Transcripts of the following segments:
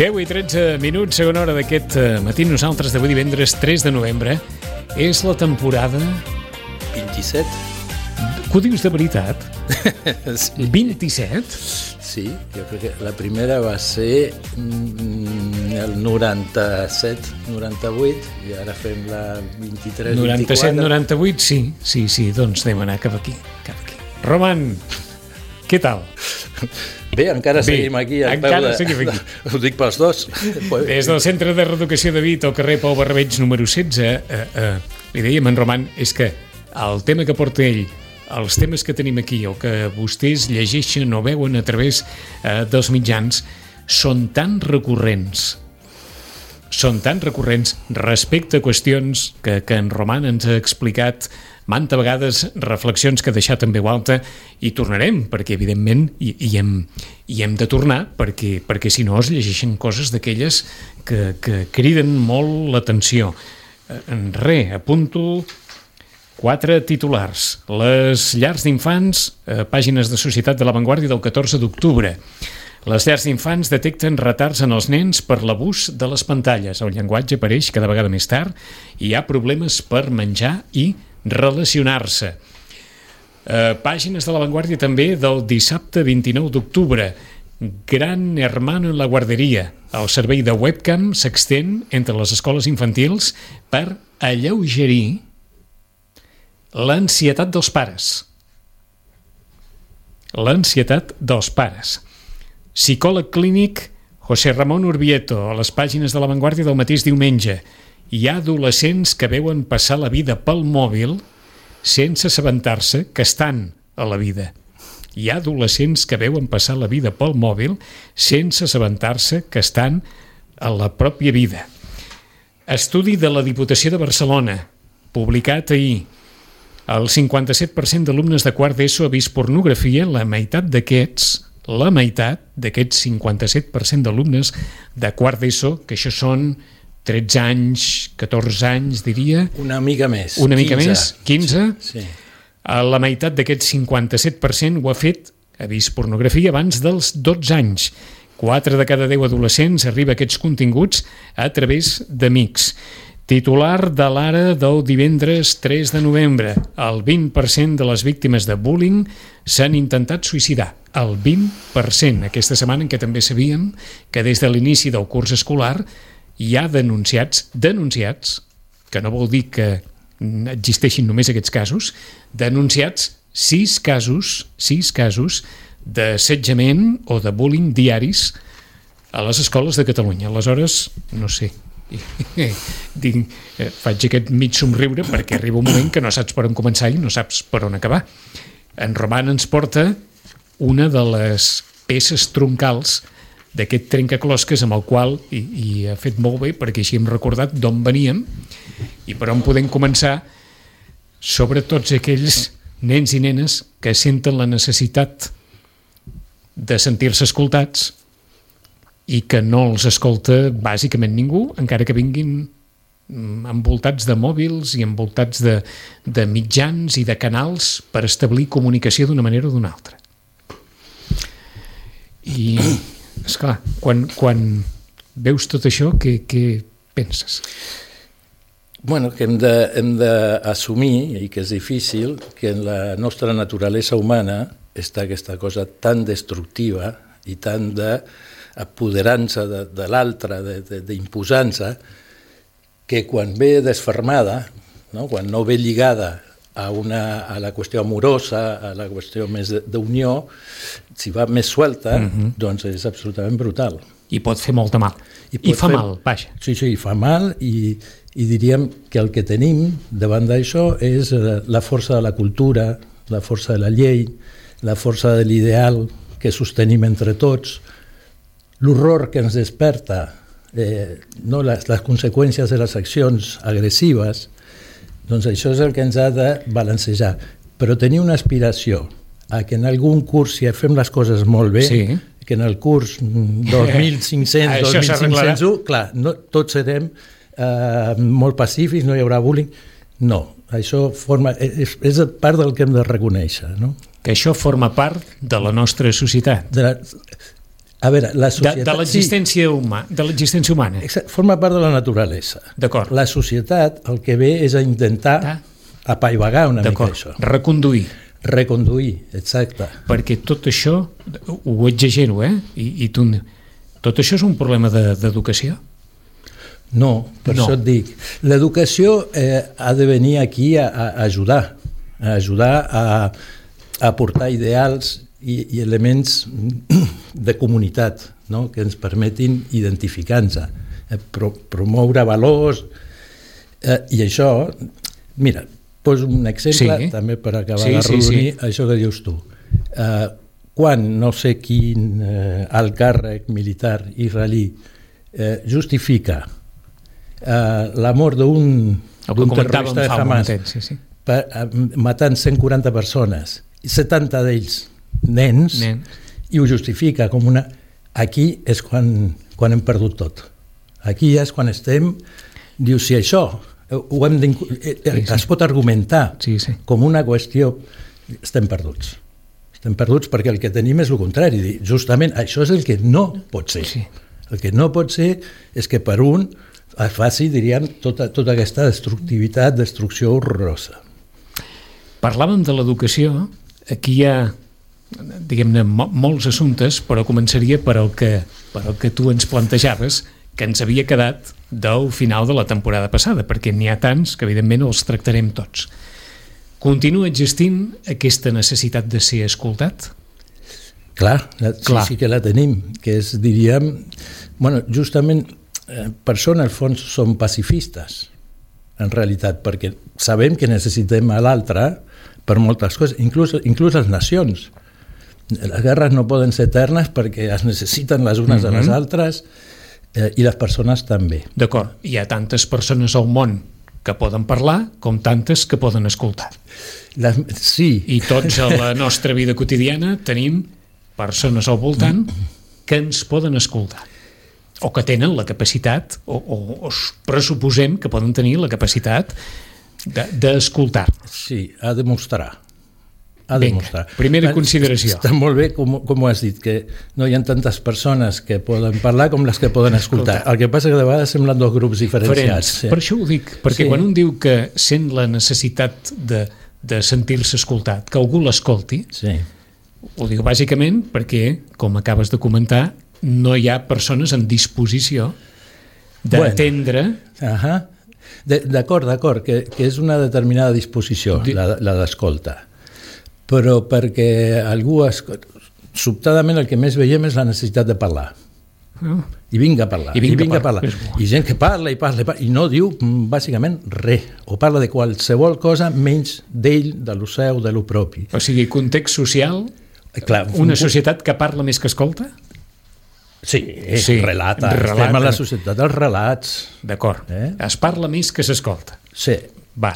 10 i 13 minuts, segona hora d'aquest matí. Nosaltres d'avui divendres 3 de novembre. És la temporada... 27. Que ho dius de veritat? Sí. 27? Sí, jo crec que la primera va ser el 97, 98, i ara fem la 23, 97, 24. 98, sí, doncs anem a anar cap aquí. Roman, què tal? Bé, encara seguim aquí. Seguim aquí. Ho dic pels dos. Des del Centre de Reeducació de Vic, al carrer Pau Barbeig, número 16, li dèiem en Roman, és que el tema que porta ell, els temes que tenim aquí o que vostès llegeixen o veuen a través dels mitjans són tan recurrents respecte a qüestions que en Roman ens ha explicat manta vegades, reflexions que ha deixat en veu alta, i tornarem, perquè evidentment hi hem de tornar, perquè si no es llegeixen coses d'aquelles que criden molt l'atenció. Apunto 4 titulars. Les llars d'infants, pàgines de Societat de la Vanguardia del 14 d'octubre. Les llars d'infants detecten retards en els nens per l'abús de les pantalles. El llenguatge apareix cada vegada més tard i hi ha problemes per menjar i relacionar-se. Pàgines de la Vanguardia també del dissabte 29 d'octubre. Gran Hermano en la guarderia. El servei de webcam s'extén entre les escoles infantils per alleugerir l'ansietat dels pares. Psicòleg clínic José Ramón Urbieta, a les pàgines de la Vanguardia del mateix diumenge. Hi ha adolescents que veuen passar la vida pel mòbil sense assabentar-se que estan a la vida. Hi ha adolescents que veuen passar la vida pel mòbil sense assabentar-se que estan a la pròpia vida. Estudi de la Diputació de Barcelona, publicat ahir. El 57% d'alumnes de quart d'ESO ha vist pornografia. La meitat d'aquests 57% d'alumnes de quart d'ESO, que això són 13 anys, 14 anys, diria. Una mica més. 15? Sí. La meitat d'aquest 57% ha vist pornografia abans dels 12 anys. 4 de cada 10 adolescents arriba a aquests continguts a través d'amics. Titular de l'Ara del divendres 3 de novembre. El 20% de les víctimes de bullying s'han intentat suïcidar. El 20%. Aquesta setmana en què també sabíem que des de l'inici del curs escolar hi ha denunciats, que no vol dir que existeixin només aquests casos, denunciats 6 casos d'assetjament o de bullying diaris a les escoles de Catalunya. Aleshores, no sé, faig aquest mig somriure perquè arriba un moment que no saps per on començar i no saps per on acabar. En Roman ens porta una de les peces troncals d'aquest trencaclosques amb el qual, i ha fet molt bé perquè així hem recordat d'on veníem i per on podem començar, sobre tots aquells nens i nenes que senten la necessitat de sentir-se escoltats i que no els escolta bàsicament ningú, encara que vinguin envoltats de mòbils i envoltats de mitjans i de canals per establir comunicació d'una manera o d'una altra. I, esclar, quan veus tot això, què penses? Bueno, que hem d'assumir, i que és difícil, que en la nostra naturalesa humana està aquesta cosa tan destructiva i tan d'apoderant-se de l'altre, d'imposant-se, que quan ve desfermada, no? Quan no ve lligada a la qüestió amorosa, a la qüestió més d'unió, si va més suelta, doncs és absolutament brutal. I pot fer molt de mal. I fa mal, vaja. Sí, fa mal i diríem que el que tenim davant d'això és la força de la cultura, la força de la llei, la força de l'ideal que sostenim entre tots, l'horror que ens desperta, les conseqüències de les accions agressives, doncs això és el que ens ha de balancejar. Però tenir una aspiració a que en algun curs, si fem les coses molt bé, que en el curs 2500, 2501, clar, tots serem molt pacífics, no hi haurà bullying. No, això és part del que hem de reconèixer, no? Que això forma part de la nostra societat. A veure, la societat... De l'existència humana. Exacte, forma part de la naturalesa. D'acord. La societat el que ve és a intentar apaivagar una mica això. Reconduir, exacte. Perquè tot això, ho exagero, I tu... Tot això és un problema d'educació? No, per això et dic. L'educació ha de venir aquí a ajudar a aportar ideals i elements de comunitat, no? Que ens permetin identificar-nos, promoure valors, i això, mira, poso un exemple també per acabar d'arrodonir això que dius tu. Quan no sé quin alt càrrec militar israelí justifica la mort d'un terrorista de Hamas matant 140 persones, 70 d'ells nens, i ho justifica com una... Aquí és quan hem perdut tot. Aquí és quan estem... Diu, si això es pot argumentar com una qüestió, estem perduts. Estem perduts perquè el que tenim és el contrari. Justament això és el que no pot ser. El que no pot ser és que per un es faci, diríem, tota aquesta destrucció horrorosa. Parlàvem de l'educació. Aquí hi ha, diguem-ne, molts assumptes, però començaria per el que tu ens plantejaves, que ens havia quedat del final de la temporada passada, perquè n'hi ha tants que, evidentment, els tractarem tots. Continua existint aquesta necessitat de ser escoltat? Clar. Sí que la tenim, que és, diríem... Bueno, justament, per això, en el fons, som pacifistes, en realitat, perquè sabem que necessitem a l'altre per moltes coses, inclús les nacions. Les guerres no poden ser eternes perquè es necessiten les unes de les altres, i les persones també. D'acord, hi ha tantes persones al món que poden parlar com tantes que poden escoltar. Sí. I tots a la nostra vida quotidiana tenim persones al voltant que ens poden escoltar, o que tenen la capacitat, o pressuposem que poden tenir la capacitat d'escoltar. Sí, ha de mostrar. Vinga, primera consideració. Està molt bé, com ho has dit, que no hi ha tantes persones que poden parlar com les que poden escoltar. El que passa que de vegades semblen dos grups diferenciats. Per això ho dic, perquè quan un diu que sent la necessitat de sentir-se escoltat, que algú l'escolti, ho dic bàsicament perquè, com acabes de comentar, no hi ha persones en disposició d'atendre... D'acord, que és una determinada disposició, la d'escolta. Però perquè algú... Sobtadament el que més veiem és la necessitat de parlar. I vinga a parlar. I gent que parla i no diu bàsicament res, o parla de qualsevol cosa menys d'ell, de lo seu, de lo propi. O sigui, context social, una societat que parla més que escolta? Sí, relata. Estem a la societat dels relats. D'acord. Es parla més que s'escolta. Sí. Va.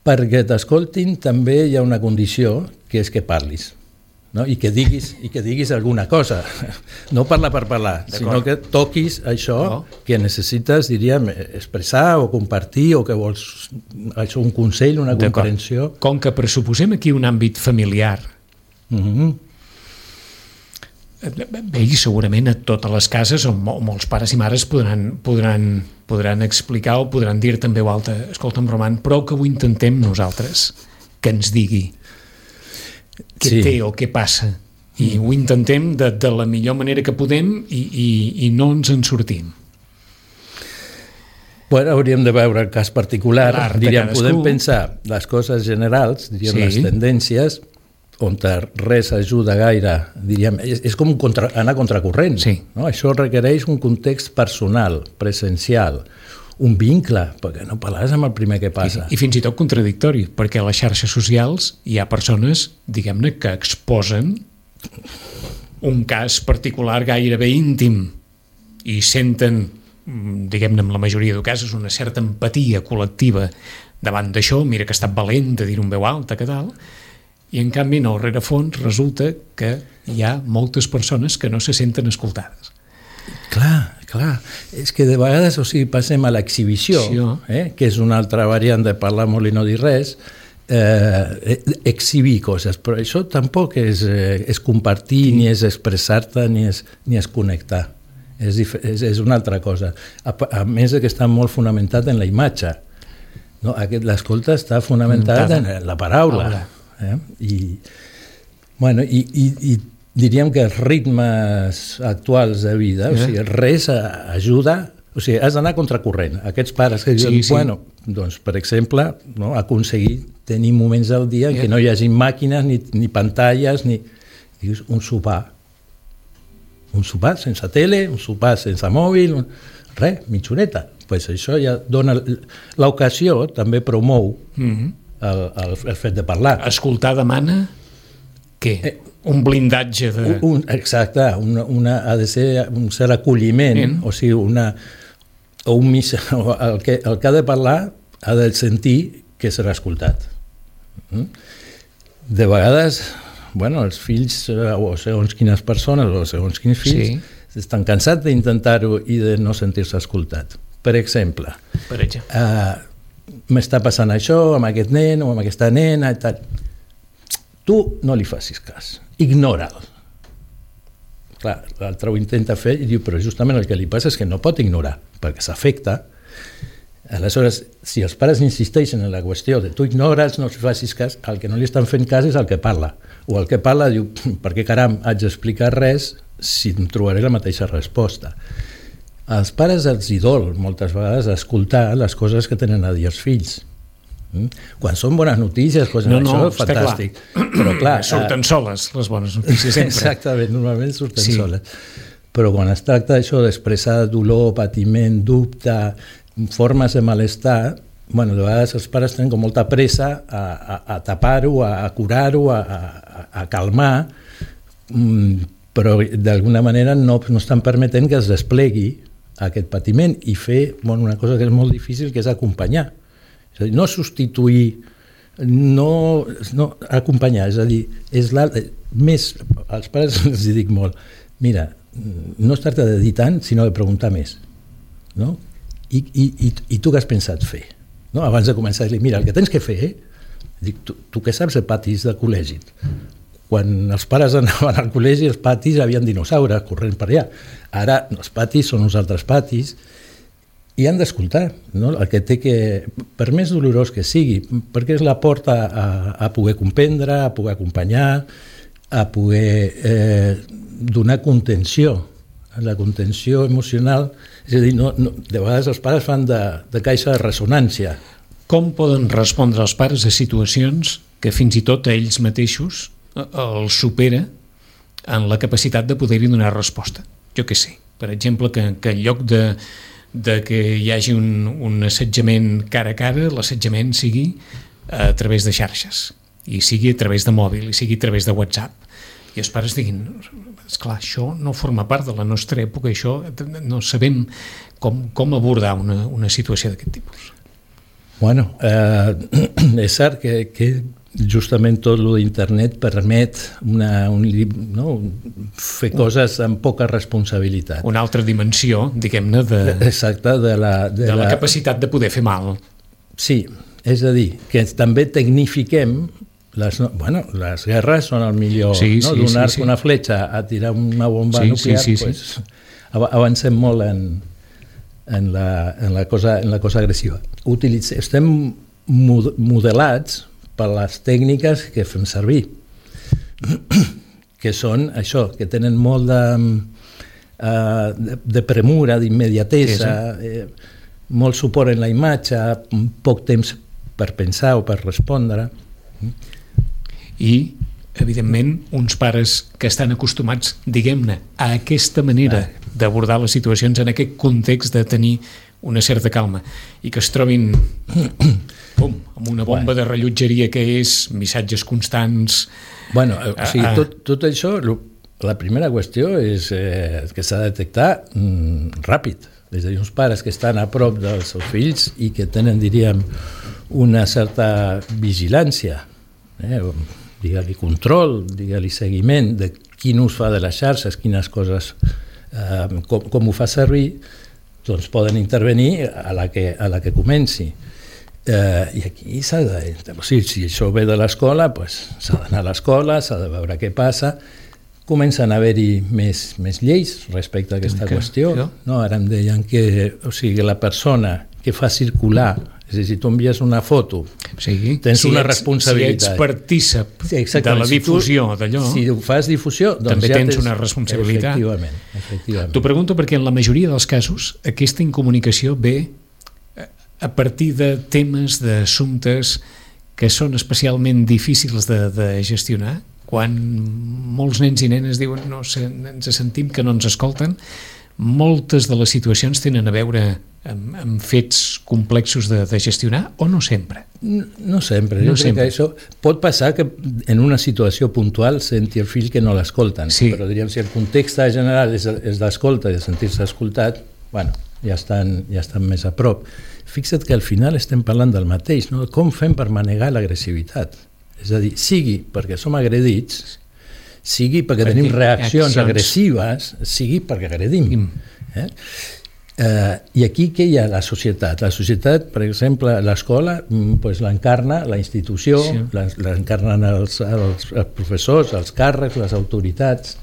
Perquè t'escoltin també hi ha una condició, que és que parlis. No? I que diguis alguna cosa. No parlar per parlar, sinó que toquis això que necessites, diríem, expressar o compartir, o que vols això, un consell, una comprensió. Com que pressuposem aquí un àmbit familiar, bé, i segurament a totes les cases on molts pares i mares podran explicar o podran dir també o alta, escolta'm, Roman, prou que ho intentem nosaltres, que ens digui què té o què passa, i ho intentem de la millor manera que podem i no ens en sortim. Bueno, hauríem de veure el cas particular, diríem, podem pensar les coses generals, diríem, les tendències, on res ajuda gaire, diríem, és com anar contracorrent. No? Això requereix un context personal, presencial, un vincle, perquè no parles amb el primer que passa. I fins i tot contradictori, perquè a les xarxes socials hi ha persones, diguem-ne, que exposen un cas particular gairebé íntim i senten, diguem-ne, en la majoria de casos, una certa empatia col·lectiva davant d'això, mira que ha estat valent de dir-ho en veu alta, que tal, i en canvi, en el rerefons, resulta que hi ha moltes persones que no se senten escoltades. Clar. És que de vegades, passem a l'exhibició, que és una altra variant de parlar molt i no dir res, exhibir coses, però això tampoc és compartir, ni és expressar-te, ni és connectar. És una altra cosa. A més que està molt fonamentat en la imatge. No? L'escolta està fonamentada en la paraula. I diríem que els ritmes actuals de vida, o sigui, res ajuda, o sigui, has d'anar contracorrent. Aquests pares que diuen, bueno, doncs, per exemple, no, aconseguir tenir moments del dia en què no hi hagi màquines, ni pantalles, ni... Dius, un sopar sense tele, un sopar sense mòbil, res, mitja horeta. Pues això ja dona... L'ocasió també promou el fet de parlar. Escoltar demana què? Un blindatge de... Exacte, ha de ser un cert acolliment, o sigui, el que ha de parlar ha de sentir que serà escoltat. De vegades, bueno, els fills, o segons quines persones, o segons quins fills, estan cansats d'intentar-ho i de no sentir-se escoltat. Per exemple, m'està passant això amb aquest nen o amb aquesta nena i tal. Tu no li facis cas, ignora'l. Clar, l'altre ho intenta fer i diu, però justament el que li passa és que no pot ignorar, perquè s'afecta. Aleshores, si els pares insisteixen en la qüestió de tu ignora'ls, no li facis cas, el que no li estan fent cas és el que parla. O el que parla diu, per què caram haig d'explicar res si em trobaré la mateixa resposta. Als pares els dol moltes vegades escoltar les coses que tenen a dir els fills. Quan són bones notícies, això és fantàstic. Però clar, surten soles les bones notícies sempre. Exactament, normalment surten soles. Però quan es tracta d'això d'expressar dolor, patiment, dubte, formes de malestar, bueno, de vegades els pares tenen com molta pressa a tapar-ho, a curar-ho, a calmar, però d'alguna manera no estan permetent que es desplegui aquest patiment i fer una cosa que és molt difícil, que és acompanyar. És a dir, no substituir, no acompanyar, és a dir, als pares els dic molt, mira, no es tracta de dir tant, sinó de preguntar més. No? I tu què has pensat fer? No? Abans de començar a dir, mira, el que tens que fer, dic, tu què saps de patis de col·legi? Quan els pares anaven al col·legi, els patis havien dinosaures corrent per allà. Ara els patis són uns altres patis i han d'escoltar, no? El que té que, per més dolorós que sigui, perquè és la porta a poder comprendre, a poder acompanyar, a poder donar contenció. La contenció emocional, és a dir, de vegades els pares fan de caixa de ressonància. Com poden respondre els pares a situacions que fins i tot a ells mateixos els supera en la capacitat de poder-hi donar resposta? Jo què sé, per exemple, que en lloc de que hi hagi un assetjament cara a cara, l'assetjament sigui a través de xarxes, i sigui a través de mòbil, i sigui a través de WhatsApp. I els pares diguin, esclar, això no forma part de la nostra època, això no sabem com abordar una situació d'aquest tipus. Bueno, és cert que justament tot lo d'internet permet fer coses amb poca responsabilitat. Una altra dimensió, diguem-ne, de la capacitat de poder fer mal. Sí, és a dir, que també tecnifiquem les guerres són el millor, donar-se una fletxa a tirar una bomba nuclear, avancem molt en la cosa agressiva. Estem modelats per les tècniques que fem servir, que són això, que tenen molt de premura, d'immediatesa, molt suport en la imatge, poc temps per pensar o per respondre. I, evidentment, uns pares que estan acostumats, diguem-ne, a aquesta manera d'abordar les situacions, en aquest context de tenir una certa calma, i que es trobin amb una bomba de rellotgeria que és missatges constants. Tot això, la primera qüestió és que s'ha de detectar ràpid. És a dir, uns pares que estan a prop dels seus fills i que tenen, diríem, una certa vigilància, digue-li control, digue-li seguiment de quin ús fa de les xarxes, quines coses, com ho fa servir, doncs poden intervenir a la que comenci. I aquí s'ha de... O sigui, si això ve de l'escola, s'ha d'anar a l'escola, s'ha de veure què passa. Comencen a haver-hi més lleis respecte a aquesta qüestió. No, ara em deien que la persona que fa circular, és a dir, si tu envies una foto, tens una responsabilitat. Si ets partícip de la difusió d'allò, si ho fas difusió, també tens una responsabilitat. Efectivament. T'ho pregunto perquè en la majoria dels casos aquesta incomunicació ve a partir de temes, d'assumptes que són especialment difícils de gestionar, quan molts nens i nenes diuen no, ens sentim que no ens escolten. Moltes de les situacions tenen a veure amb fets complexos de gestionar, o no sempre? No sempre. Jo crec que això pot passar que en una situació puntual senti el fill que no l'escolten, però diríem, si el context general és d'escolta i de sentir-se escoltat, bueno, ja estan més a prop. Fixa't que al final estem parlant del mateix, no? Com fem per manegar l'agressivitat? És a dir, sigui perquè som agredits, sigui perquè tenim reaccions agressives, sigui perquè agredim. I aquí què hi ha la societat? La societat, per exemple, l'escola l'encarna la institució, l'encarnen els professors, els càrrecs, les autoritats,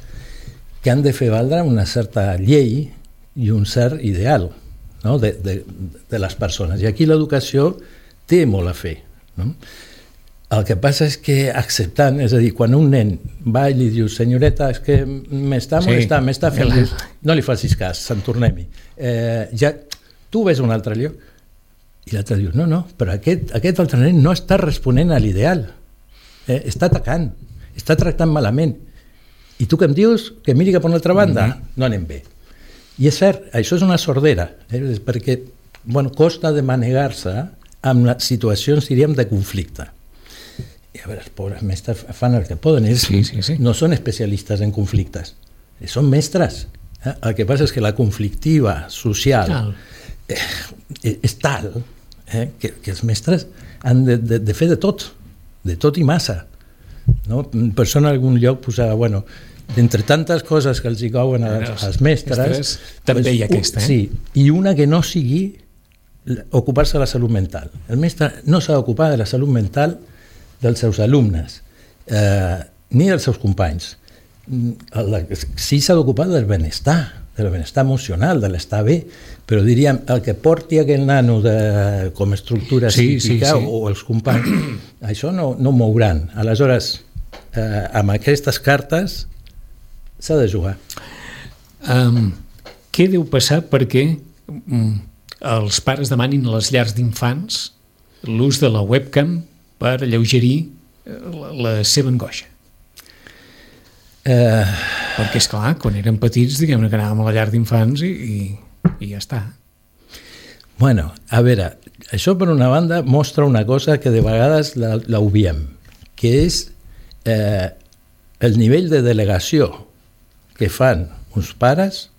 que han de fer valdre una certa llei i un cert ideal, no? de les persones. I aquí l'educació té molt a fer, no? El que passa és que acceptant, és a dir, quan un nen va i li diu senyoreta, és que m'està molestant, m'està fent... No li facis cas, se'n tornem-hi. Tu ves un altre lloc. I l'altre diu, no, però aquest altre nen no està responent a l'ideal. Està atacant, està tractant malament. I tu que em dius que miri cap a una altra banda? No anem bé. I és cert, això és una sordera, perquè costa de manegar-se amb les situacions, diríem, de conflicte. I a veure, els pobres mestres fan el que poden, no són especialistes en conflictes, són mestres. El que passa és que la conflictiva social és tal que els mestres han de fer de tot i massa. Per això en algun lloc posava, d'entre tantes coses que els hi couen als mestres, també hi ha aquesta. I una que no sigui ocupar-se de la salut mental. El mestre no s'ha d'ocupar de la salut mental dels seus alumnes, ni dels seus companys. Sí s'ha d'ocupar del benestar emocional, de l'estar bé, però diríem, el que porti aquell nano com a estructura psíquica o els companys, això no mouran. Aleshores, amb aquestes cartes s'ha de jugar. Què deu passar perquè els pares demanin a les llars d'infants l'ús de la webcam per alleugerir la seva angoixa? Perquè, esclar, quan érem petits, diguem-ne que anàvem a la llar d'infants i ja està. Bueno, a veure, això per una banda mostra una cosa que de vegades l'obviem, que és el nivell de delegació que fan uns pares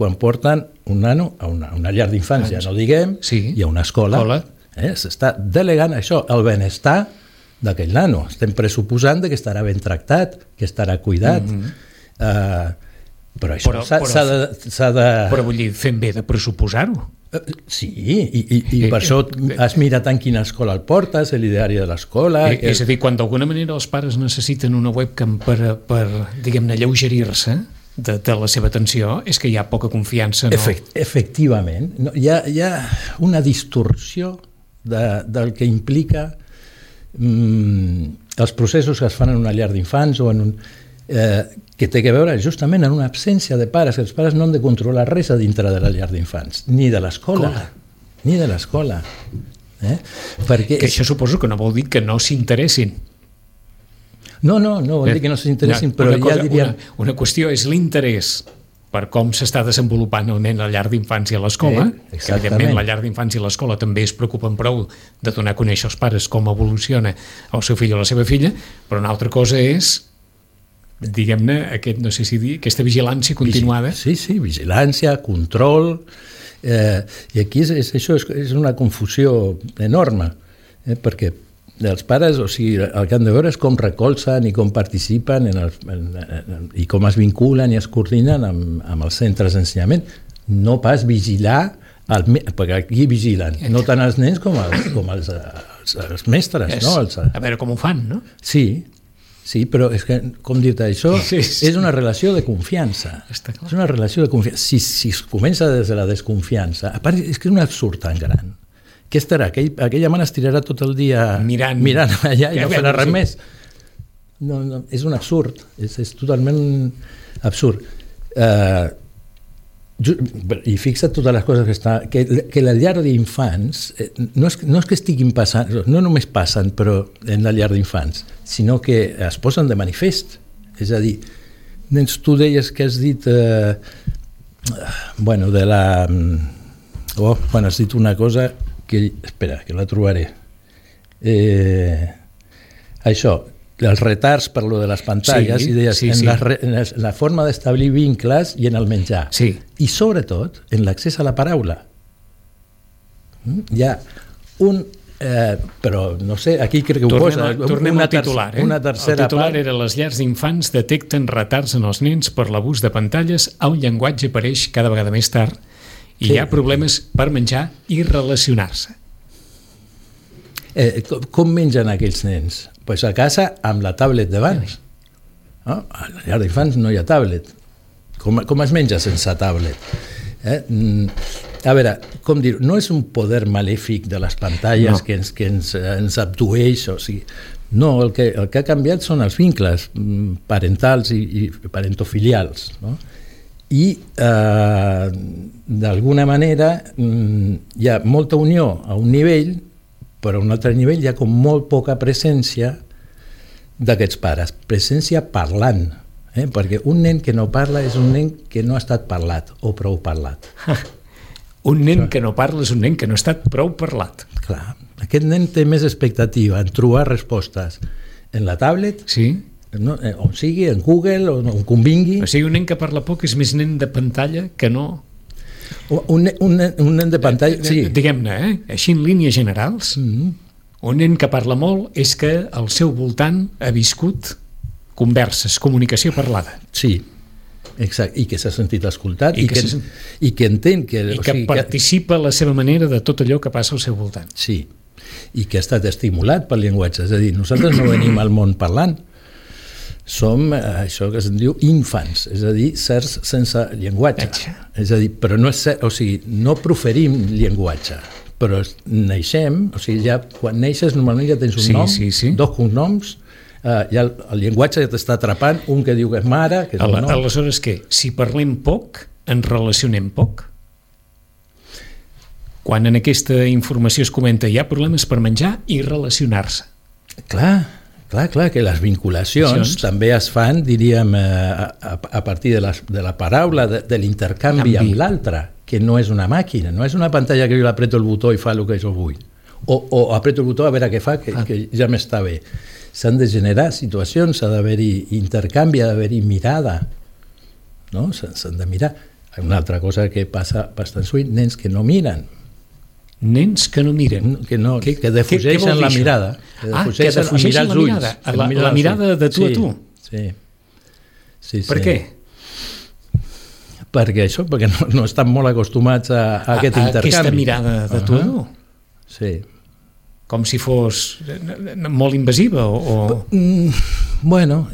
quan porten un nano a una llar d'infants, ja no diguem, i a una escola. S'està delegant això, el benestar d'aquell nano. Estem pressuposant que estarà ben tractat, que estarà cuidat, però això s'ha de... Però vull dir, fem bé de pressuposar-ho. Sí, i per això has mirat en quina escola el portes, l'ideari de l'escola... És a dir, quan d'alguna manera els pares necessiten una webcam per diguem-ne, alleugerir-se de la seva atenció, és que hi ha poca confiança. Efectivament. Hi ha una distorsió del que implica els processos que es fan en una llar d'infants o que té a veure justament en una absència de pares. Els pares no han de controlar res a dintre de la llar d'infants, ni de l'escola. Que això suposo que no vol dir que no s'interessin. No vol dir que no s'interessin, però ja diríem... Una qüestió és l'interès per com s'està desenvolupant el nen a la llar d'infants i a l'escola, que evidentment la llar d'infants i l'escola també es preocupen prou de donar a conèixer als pares com evoluciona el seu fill o la seva filla, però una altra cosa és, diguem-ne, aquesta vigilància continuada. Sí, vigilància, control, i aquí això és una confusió enorme, perquè els pares, o sigui, el que han de veure és com recolzen i com participen i com es vinculen i es coordinen amb els centres d'ensenyament. No pas vigilar perquè aquí vigilen, no tant els nens com els mestres. No? A veure com ho fan, no? Sí, però és que, com dir-te, això és una relació de confiança. És una relació de confiança. Si es comença des de la desconfiança, a part és que és un absurd tan gran. Què estarà? Aquella mare es tirarà tot el dia mirant allà i no farà res més. No, és un absurd, és totalment absurd. I fixa't totes les coses que la llar d'infants no és que estiguin passant, no només passen però en la llar d'infants, sinó que es posen de manifest. És a dir, nens, tu deies que has dit has dit una cosa que, espera, que la trobaré. Això, els retards per lo de les pantalles, i deies, en la forma d'establir vincles i en el menjar. I sobretot en l'accés a la paraula. Hi ha un... però no sé, aquí crec que ho posa. Tornem al titular. Una tercera el titular era: les llars d'infants detecten retards en els nens per l'abús de pantalles, el llenguatge apareix cada vegada més tard i hi ha problemes per menjar i relacionar-se. Com mengen aquells nens? Pues a casa amb la tablet davant. A la llar d'infants no hi ha tablet. Com es menja sense tablet? A veure, com dir, no és un poder malèfic de les pantalles que ens abdueix, o sigui, no, el que ha canviat són els vincles parentals i parentofilials, no? I d'alguna manera hi ha molta unió a un nivell, però a un altre nivell hi ha com molt poca presència d'aquests pares, presència parlant, perquè un nen que no parla és un nen que no ha estat parlat o prou parlat. Un nen que no parla és un nen que no ha estat prou parlat. Clar, aquest nen té més expectativa en trobar respostes en la tablet, on sigui, en Google, on convingui. O sigui, un nen que parla poc és més nen de pantalla que no... Un nen de pantalla, sí. Diguem-ne, així en línies generals, un nen que parla molt és que al seu voltant ha viscut converses, comunicació parlada. Sí, exacte, i que s'ha sentit escoltat i que entén que... I que participa a la seva manera de tot allò que passa al seu voltant. Sí, i que ha estat estimulat pel llenguatge. És a dir, nosaltres no venim al món parlant, som això que se'n diu infants, és a dir, certs sense llenguatge. És a dir, però no és cert, o sigui, no proferim llenguatge, però naixem, o sigui, ja quan neixes normalment ja tens un nom, dos cognoms, ja el llenguatge ja t'està atrapant, un que diu que és mare, que és el nom. Aleshores què? Si parlem poc, ens relacionem poc? Quan en aquesta informació es comenta hi ha problemes per menjar i relacionar-se. Clar, que les vinculacions també es fan, diríem, a partir de la paraula, de l'intercanvi amb l'altre, que no és una màquina, no és una pantalla que jo l'apreto el botó i fa el que jo vull. O apreto el botó a veure què fa, que ja m'està bé. S'han de generar situacions, ha d'haver-hi intercanvi, ha d'haver-hi mirada. No? S'han de mirar. Una altra cosa que passa bastant sovint, nens que no miren. Nens que no miren. Que defugeixen la mirada. Que defugeixen la mirada. La mirada de tu a tu. Sí. Per què? Perquè no estan molt acostumats a aquest intercanvi. Aquesta mirada de tu a tu. Sí. Com si fos molt invasiva o... Bueno,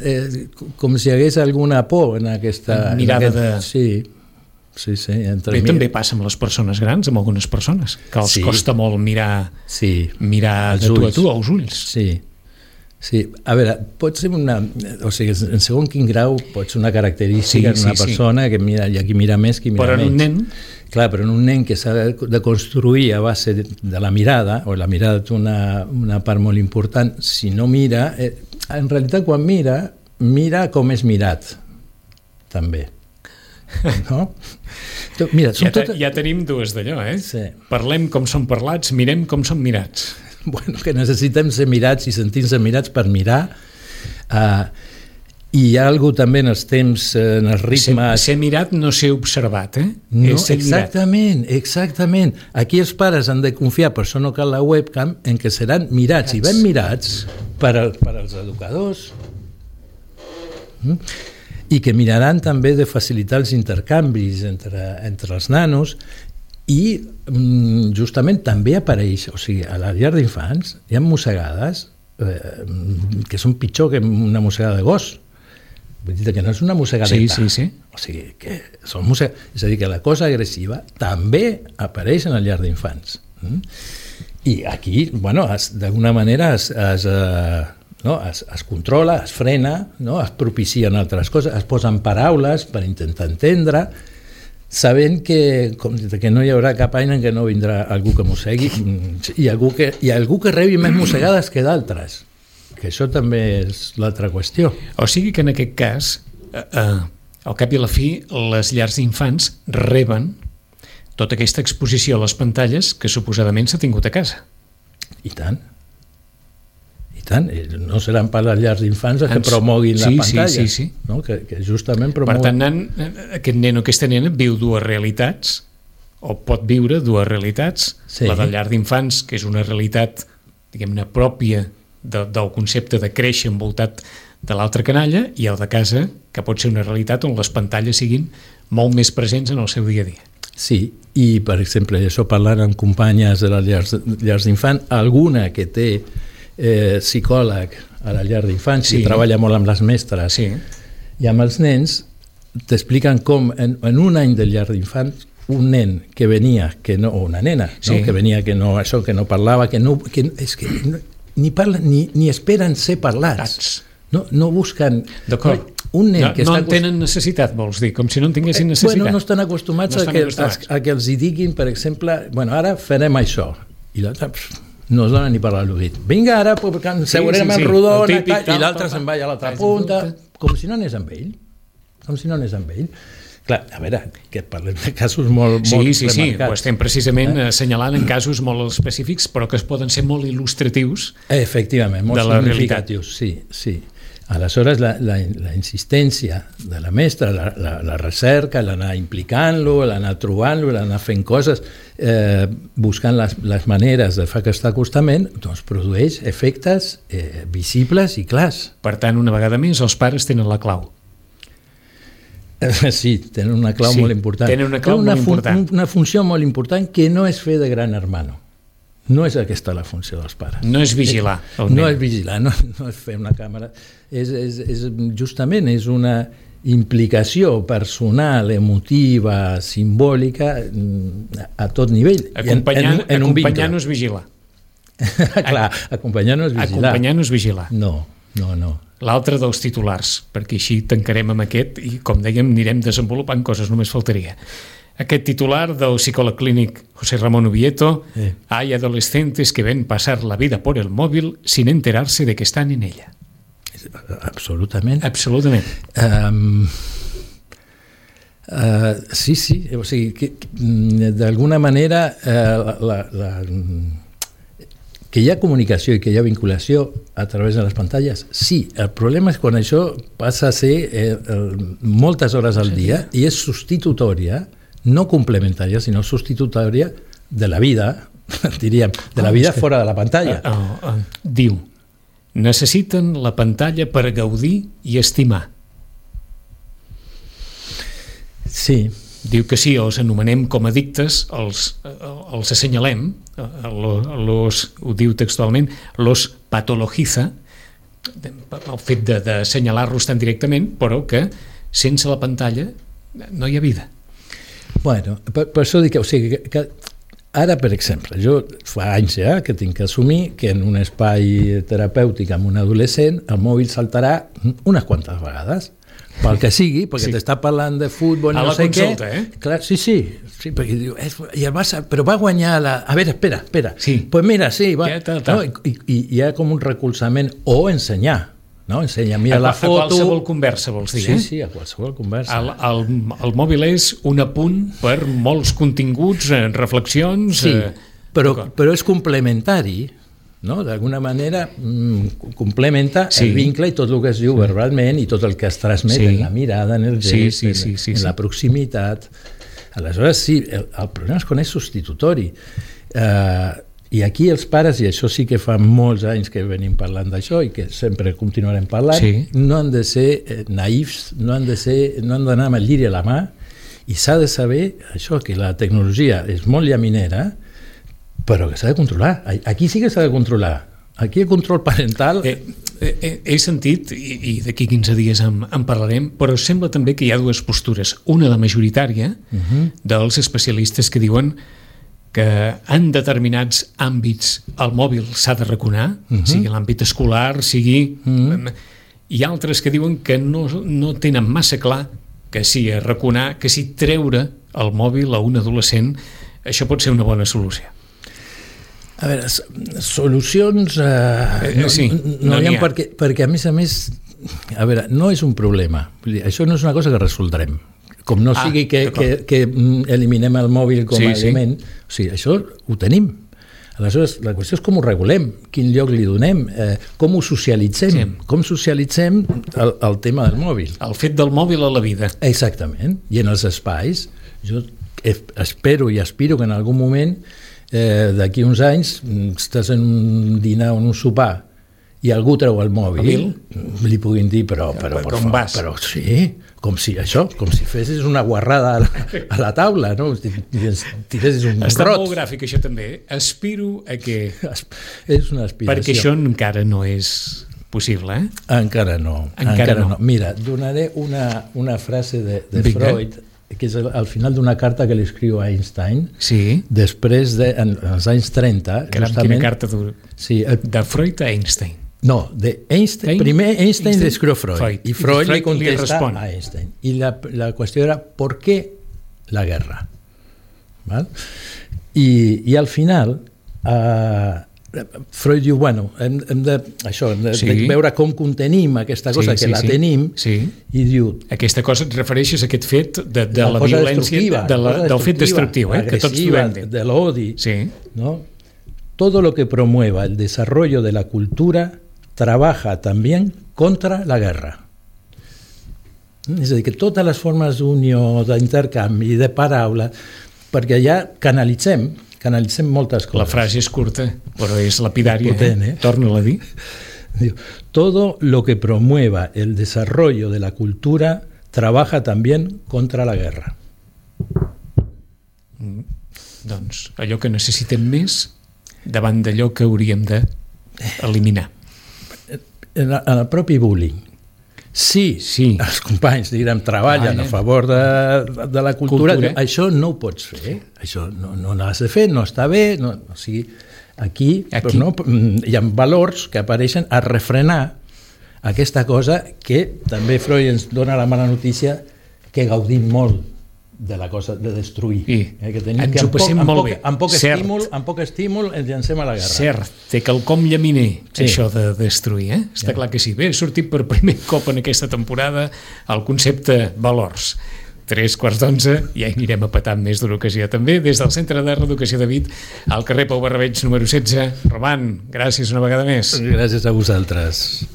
com si hi hagués alguna por en aquesta... Mirada de... Sí. Bé, també passa amb les persones grans, amb algunes persones, que els costa molt mirar de tu a tu, als ulls. Sí. A veure, pot ser una... O sigui, en segon quin grau pot ser una característica d'una persona que mira, hi ha qui mira més, qui mira menys. Però en un nen... Clar, però en un nen que s'ha de construir a base de la mirada, o la mirada té una part molt important, si no mira... En realitat, quan mira com és mirat, també. No? Mira, ja tenim dues d'allò, Sí. Parlem com som parlats, mirem com som mirats. Bueno, que necessitem ser mirats i sentir-nos mirats per mirar. I hi ha alguna també en els temps, en els ritmes... Ser mirat no ser observat, No, exactament. Aquí els pares han de confiar, per això no cal la webcam, en que seran mirats i ben mirats per als educadors. I que miraran també de facilitar els intercanvis entre els nanos I justament també apareix, o sigui, a la llar d'infants hi ha mossegades que són pitjor que una mossegada de gos. Vull dir que no és una mossegadeta. Sí. O sigui, que són és a dir, que la cosa agressiva també apareix en la llar d'infants. I aquí, bueno, d'alguna manera es controla, es frena, no? Es propicien altres coses, es posen paraules per intentar entendre, sabent que no hi haurà cap any en què no vindrà algú que mossegui i algú que rebi més mossegades que d'altres, que això també és l'altra qüestió. O sigui que en aquest cas, al cap i a la fi, les llars d'infants reben tota aquesta exposició a les pantalles que suposadament s'ha tingut a casa. I tant. No seran per les llars d'infants que promoguin la pantalla. Sí. No? Que justament promoguin... Per tant, aquest nen o aquesta nena viu dues realitats, o pot viure dues realitats. Sí. La de llar d'infants, que és una realitat, diguem-ne, pròpia del concepte de créixer envoltat de l'altra canalla, i el de casa, que pot ser una realitat on les pantalles siguin molt més presents en el seu dia a dia. Sí, i per exemple, això parlant amb companyes de les llars d'infants, alguna que té psicòleg a la llar d'infants, i treballa molt amb les mestres i amb els nens, t'expliquen com en un any de llar d'infants un nen que venia, o una nena, que venia que no parlava, ni parla ni esperen ser parlats. No busquen... D'acord. Un nen que no en tenen necessitat, vols dir, com si no en tinguessin necessitat. Bueno, no estan acostumats a que els hi diguin, per exemple, bueno, ara farem això, i l'altre no es dona ni per l'oït. Vinga, ara seurem en rodona, i l'altre se'n va a l'altra punta, com si no anés amb ell. Clar, a veure, que parlem de casos molt remarcats. Sí, ho estem precisament assenyalant en casos molt específics, però que es poden ser molt il·lustratius. Efectivament, molt significatius, sí. Aleshores, la insistència de la mestra, la recerca, l'anar implicant-lo, l'anar trobant-lo, l'anar fent coses, buscant les maneres de fer aquest acostament, doncs produeix efectes visibles i clars. Per tant, una vegada més, els pares tenen la clau. Sí, tenen una clau molt important. Tenen una clau molt important. Una funció molt important que no és fer de gran hermano. No és aquesta la funció dels pares. No és vigilar. No és vigilar, no és fer una càmera. Justament és una implicació personal, emotiva, simbòlica a tot nivell. Acompanyar no és vigilar. Clar, acompanyar no és vigilar. Acompanyar no és vigilar. No. L'altre dels titulars, perquè així tancarem amb aquest i, com dèiem, anirem desenvolupant coses, només faltaria. Aquest titular del psicòleg clínic José Ramón Ubieto: hay adolescentes que ven pasar la vida por el móvil sin enterarse de que están en ella. Absolutament. Sí, o sigui, que d'alguna manera que hi ha comunicació i que hi ha vinculació a través de les pantalles, sí. El problema és quan això passa a ser moltes hores al dia i és substitutòria, no complementària, sinó substitutòria de la vida, diríem, de la vida fora de la pantalla. Diu, necessiten la pantalla per gaudir i estimar. Sí. Diu que sí, els anomenem com addictes, els assenyalem, ho diu textualment, los patologiza, el fet d'assenyalar-los tan directament, però que sense la pantalla no hi ha vida. Bueno, per això dic que ara, per exemple, jo fa anys ja que tinc que assumir que en un espai terapèutic amb un adolescent el mòbil saltarà unes quantes vegades. Pel que sigui, perquè t'està parlant de futbol, no sé què. A la consulta, Clar, sí, perquè diu, i el Barça, però va guanyar a veure, espera. Sí. Pues mira, sí, va. No? I hi ha com un recolzament o ensenyar, no? Ensenya, mira la foto... A qualsevol conversa, vols dir, Sí, a qualsevol conversa. El mòbil és un apunt per molts continguts, reflexions... Sí, però és complementari, no? D'alguna manera complementa el vincle i tot el que es diu verbalment i tot el que es transmet en la mirada, en el gest, en la proximitat. Aleshores, sí, el problema és quan és substitutori. I aquí els pares, i això sí que fa molts anys que venim parlant d'això i que sempre continuarem parlant, no han de ser naïfs, no han d'anar amb el lliri a la mà I s'ha de saber això, que la tecnologia és molt llaminera, però que s'ha de controlar. Aquí sí que s'ha de controlar. Aquí el control parental... He sentit, i d'aquí 15 dies en parlarem, però sembla també que hi ha dues postures. Una, la majoritària, dels especialistes que diuen que en determinats àmbits el mòbil s'ha de raconar, sigui l'àmbit escolar, sigui... I altres que diuen que no tenen massa clar que si raconar, que si treure el mòbil a un adolescent, això pot ser una bona solució. A veure, solucions no hi ha, perquè a més, a veure, no és un problema. Vull dir, això no és una cosa que resoldrem. Com no sigui que eliminem el mòbil com a element. O sigui, això ho tenim. Aleshores, la qüestió és com ho regulem, quin lloc li donem, com ho socialitzem, com socialitzem el tema del mòbil. El fet del mòbil a la vida. Exactament. I en els espais, jo espero i aspiro que en algun moment, d'aquí uns anys, estàs en un dinar o en un sopar i algú treu el mòbil, li puguin dir, però sí, com si fessis una guarrada a la taula, no? Tiressis un Està rot. molt gràfic, això també. Aspiro a que... És una aspiració. Perquè això encara no és possible, eh? Encara no. Mira, donaré una frase de Freud, que és al final d'una carta que li escriu a Einstein, després en els anys 30... Quina carta de Freud a Einstein? No, de Einstein. Primer Einstein le escribió Freud y Freud le contesta a Einstein. Y la cuestión era ¿por qué la guerra? ¿Vale? Y al final Freud diu, bueno, hem de veure com contenim aquesta cosa que la tenim, i diu... Aquesta cosa et refereixes a aquest fet de la violència, del fet destructiu, que tots trobem. De l'odi. ¿No? Todo lo que promueva el desarrollo de la cultura trabaja también contra la guerra. És a dir, que totes les formes d'unió, d'intercanvi, de paraula, perquè ja canalitzem moltes coses. La frase és curta, però és lapidària. Torna-la a dir. Todo lo que promueva el desarrollo de la cultura trabaja también contra la guerra. Doncs allò que necessitem més davant d'allò que hauríem d'eliminar. En el propi bullying. Sí, els companys, treballen a favor de la cultura. Això no ho pots fer. Això no l'has de fer, no està bé. O sigui, aquí hi ha valors que apareixen a refrenar aquesta cosa que també Freud ens dona la mala notícia que gaudim molt de la cosa de destruir. Que ens ho passem molt bé. Amb poc estímul ens llancem a la guerra. Cert, té quelcom llaminer, això de destruir. Està clar que sí. Bé, ha sortit per primer cop en aquesta temporada el concepte valors. 11:03, ja hi anirem a petar més d'una ocasió també, des del Centre de Reeducació de Vic, al carrer Pau Barrabeig número 16. Roman, gràcies una vegada més. Gràcies a vosaltres.